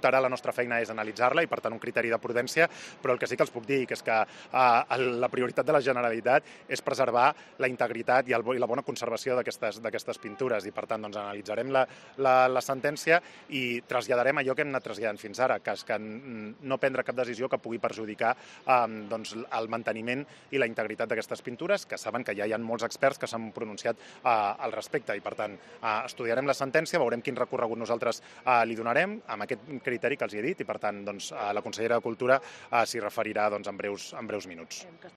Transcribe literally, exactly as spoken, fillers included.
Ara la nostra feina és analitzar-la i, per tant, un criteri de prudència, però el que sí que els puc dir és que eh, la prioritat de la Generalitat és preservar la integritat i, el, i la bona conservació d'aquestes pintures i, per tant, doncs, analitzarem la, la, la sentència i traslladarem allò que hem anat traslladant fins ara, que és que no prendre cap decisió que pugui perjudicar eh, doncs, el manteniment i la integritat d'aquestes pintures, que saben que ja hi ha molts experts que s'han pronunciat eh, al respecte i, per tant, eh, estudiarem la sentència, veurem quin recorregut nosaltres eh, li donarem amb aquest criteri que els he dit i, per tant, doncs, la consellera de Cultura s'hi referirà doncs, en breus, en breus minuts.